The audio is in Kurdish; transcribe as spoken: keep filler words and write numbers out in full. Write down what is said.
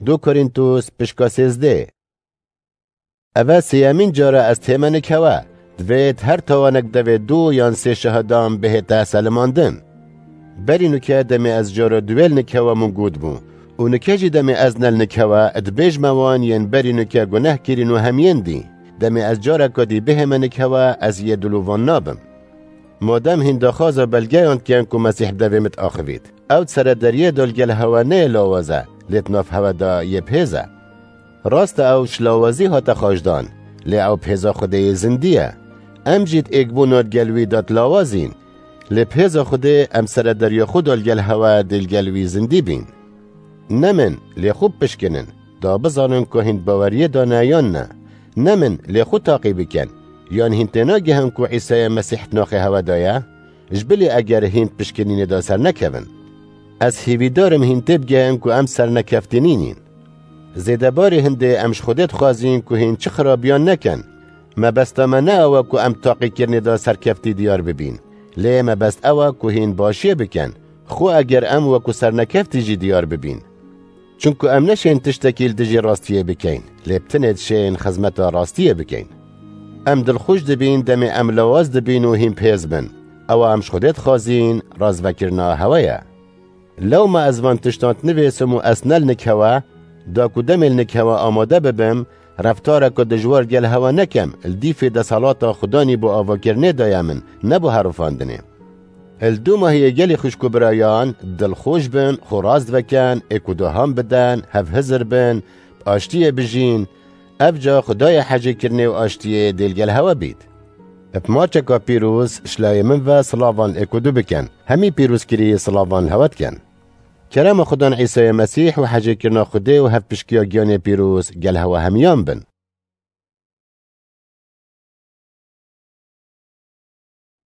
Du Korîntus pişka sêzdeh. Eve sêyemîn cara ez tême nikhewe. Divêt her tawanek devê du yan sê şahidan bihête selimandin. Berî nuke demê ez cara duwêl nikhewe min got bû. Û nuke jî demê ez nel nikhewe, dibêjme wan yên berî nuke guneh kirîn û hemiyên dî. Demê ez careka dî bihême nikhewe, ez yê dilovan nabim. Madem hîn daxwaza belgeyan dikin ku Mesîh bi devê min diaxivît. Ew di sere deriyê de li gel hewe neyê lawaz e, lê di nav hewe de yê bi hêz e. Rast e ew ji lawazî hate xweşdan, lê ew bi hêza Xwedê yê zindî ye. Em jî di êkbûna di gel wî de di lawazîn, lê bi hêza Xwedê em sere deriya xwe de li gel hewe dê li gel wî zindî bîn. Nemin, lê xwe bipişkinin, da bizanin ku hîn di baweriyê de ne yan ne. Nemin, lê xwe taqî bikin, yan hîn tênagihin ku Îsayê Mesîh di naxê hewe de ye? Ji bilî eger hîn di pişkinînê de sernekevin. Ez hêvîdar im hîn têbigehin ku em sernekeftînî nîn. Zêdebarê hindê em ji Xwedê dixwazîn ku hîn çi xirabiyan nekin. Mebesta me ne ew e ku em di taqîkirinê de serkeftî diyar bibîn. Lê mebest ew e ku hîn başiyê bikin. Xwe eger em wekû sernekeftî jî diyar bibîn. Çunku em neşên tiştekî li dijî rastiyê bikeyn, lê bi tinê dişên xizmeta rastiyê bikeyn. Em dilxweş dibîn demê em lawaz dibîn û hîn bi hêz bin. Ewa em ji Xwedê dixwazîn, razvekirina hewe ye. Lewma ez van tiştan dinivîsim û ez ne li nik hewe, da ku demê li nik hewe amade bibim, reftareke dijwar gel hewe nekem, li dîfê desthilata Xudanî bo avakirinê de ye min, ne bo herifandinê. Li dû mahiyê gelî xwişk û birayan, dilxweş bin, xwe rast veken, êk û duhan biden, hevhizir bin, bi aştiyê bijîn. Ev ca Xwedayê hecêkirinê û aştiyê dê li gel hewe bît. Bi maçeka pîroz, ji layê min ve silavan êk û du bikin. Hemî pîrozkirî silavan li hewe dikin. Kerema Xudan Îsayê Mesîh û hecêkirina Xwedê û hevpişkiya giyanê pîroz gel hewe hemiyan bin.